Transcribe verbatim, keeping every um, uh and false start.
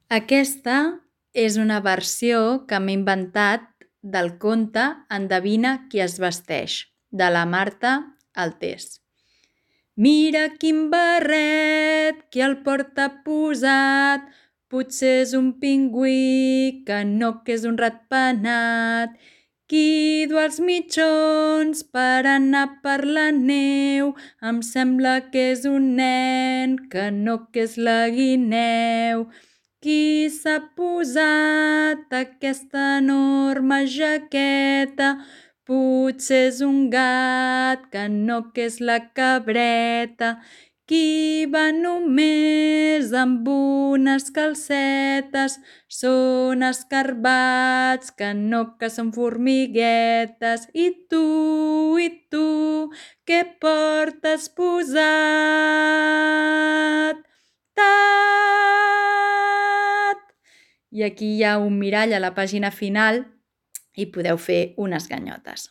Aquesta és una versió que m'he inventat del conte Endevina qui es vesteix, de la Marta Altés. Mira quin barret, qui el porta posat, potser és un pingüí, que no que és un ratpenat. Qui du els mitjons per anar per la neu, em sembla que és un nen, que no que és la guineu. Qui s'ha posat aquesta enorme jaqueta, potser és un gat, que no que és la cabreta. Qui va només amb unes calcetes, són escarbats, que no que són formiguetes. I tu, i tu, què portes posat? Tat! I aquí hi ha un mirall a la pàgina final i podeu fer unes ganyotes.